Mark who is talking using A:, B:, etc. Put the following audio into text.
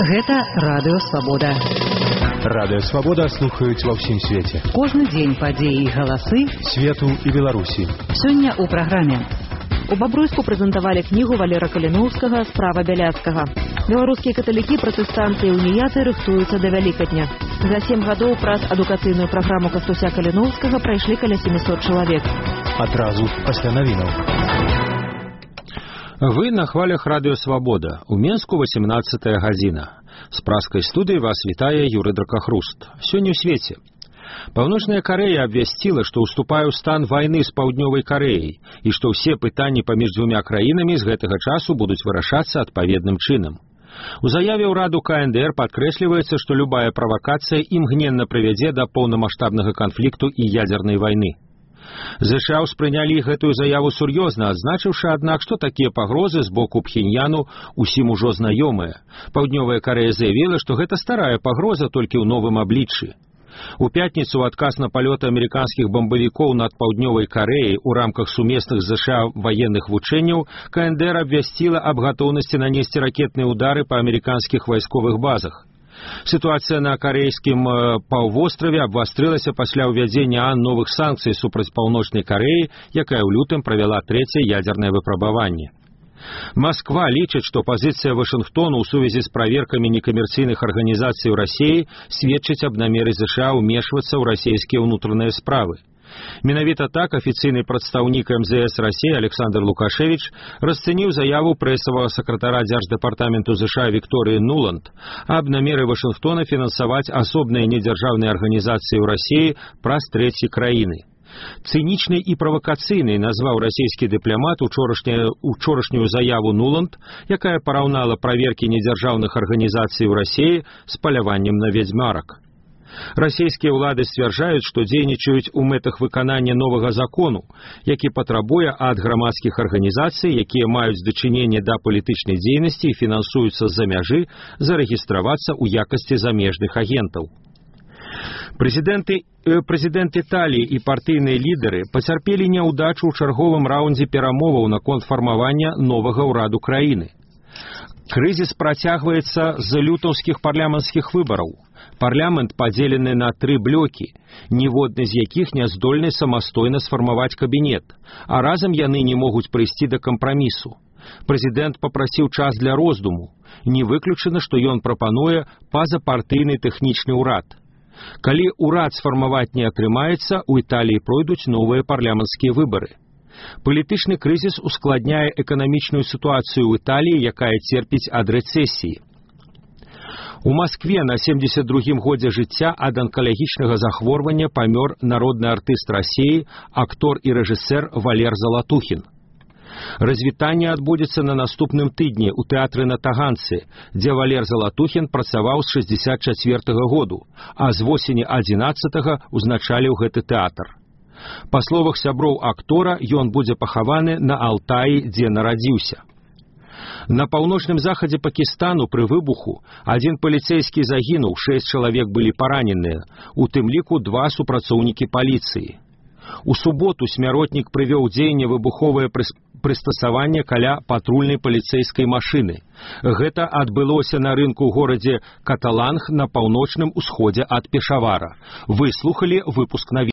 A: Гэта Радыё Свабода.
B: Радыё Свабода слухаюць ва ўсім свеце.
A: Кожны дзень падзеі і галасы
B: свету і Беларусі.
A: Сёння ў праграме.
C: У Бабруйску прэзентавалі кнігу Валера Каліноўскага «Справа Бяляцкага». Беларускія каталікі, пратэстанты і уніяты рыхтуюцца да Вялікадня. За 7 гадоў праз адукацыйную праграму Кастуся Каліноўскага прайшлі каля 700 чалавек.
B: Адразу пасля навінаў.
D: Вы на хвалях Радыё Свабода. У Менску 18 гадзіна. З праскай студыі вас вітае Юрый Дракахруст. Сёння ў свеце. Паўночная Карэя абвясціла, што ўступае ў стан вайны з Паўднёвай Карэяй і што ўсе пытанні паміж дзвюма краінамі з гэтага часу будуць вырашацца адпаведным чынам. У заяве ўраду КНДР падкрэсліваецца, што любая правакацыя імгненна прывядзе да поўнамаштабнага канфлікту і ядзернай вайны. ЗША ўспрынялі гэтую заяву сур'ёзна, адзначыўшы, аднак, што такія пагрозы з боку Пхеньяну ўсім ужо знаёмыя. Паўднёвая Карэя заявіла, што гэта старая пагроза толькі ў новым абліччы. У пятніцу ў адказ на палёты амерыканскіх бамбавікоў над Паўднёвай Карэяй у рамках сумесных з ЗША военных вучэнняў КНДР абвясціла аб гатоўнасці нанесці ракетныя ўдары па амерыканскіх вайсковых базах. Сітуацыя на карэйскім паўвостраве абвастрылася пасля ўвядзення новых санкцый супраць Паўночнай Карэі, якая ў лютым правяла трэцяе ядзернае выпрабаванне. Масква лічыць, што пазіцыя Вашынгтону ў сувязі з праверкамі некамерцыйных арганізацый у Расіі сведчыць аб намеры ЗША ўмешвацца ў расійскія ўнутраныя справы. Менавіта так афіцыйны прадстаўнік МЗС Расіі Александр Лукашевич расцэніў заяву прэсавага сакратара Дзярждэпартаменту ЗША Вікторыі Нуланд аб намеры Вашынгтона фінансаваць асобныя недзяржаўныя арганізацыі ў Расіі праз трэцяй краіны. Цынічнай і правакацыйнай назваў расійскі дыпламат учорашнюю заяву Нуланд, якая параўнала праверкі недзяржаўных арганізацый у Расіі з паляваннем на ведзьмарак. Расійскія ўлады сцвярджаюць, што дзейнічаюць у мэтах выканання новага закону, які патрабуе ад грамадскіх арганізацый, якія маюць дачыненне да палітычнай дзейнасці і фінансуюцца з-за мяжы, зарэгістравацца ў якасці замежных агентаў. Прэзідэнт Італіі і партыйныя лідары пацярпелі няўдачу ў чарговым раўндзе перамоваў наконт фармавання новага ўраду краіны. Крызіс працягваецца з лютаўскіх парламенцкіх выбараў. Парламент падзелены на 3 блокі, ніводны з якіх не здольны самастойна сфармаваць кабінет, а разам яны не могуць прыйсці да кампрамісу. Прэзідэнт папрасіў час для роздуму. Не выключана, што ён прапануе пазапартыйны тэхнічны ўрад. Калі ўрад сфармаваць не атрымаецца, у Італіі пройдуць новыя парламенцкія выбары. Палітычны крызіс ускладняе эканамічную сітуацыю ў Італіі, якая церпіць ад рэцэсіі. У Маскве на 72-м годзе жыцця ад анкалагічнага захворвання памёр народны артыст Расіі, актор і рэжысэр Валер Залатухін. Развітанне адбудзецца на наступным тыдні ў тэатры на Таганцы, дзе Валер Залатухін працаваў з 64-го году, а з восені 11-го узначаліў гэты тэатр. Па словах сяброў актора, ён будзе пахаваны на Алтаі, дзе нарадзіўся. На паўночным захадзе Пакістану пры выбуху 1 паліцэйскі загінуў, 6 чалавек былі параненыя, у тым ліку 2 супрацоўнікі паліцыі. У суботу смяротнік прывёў у дзеянне выбуховае прыстасаванне каля патрульнай паліцэйскай машыны. Гэта адбылося на рынку ў горадзе Каталанг на паўночным усходзе ад Пешавара. Вы слухалі выпуск навін.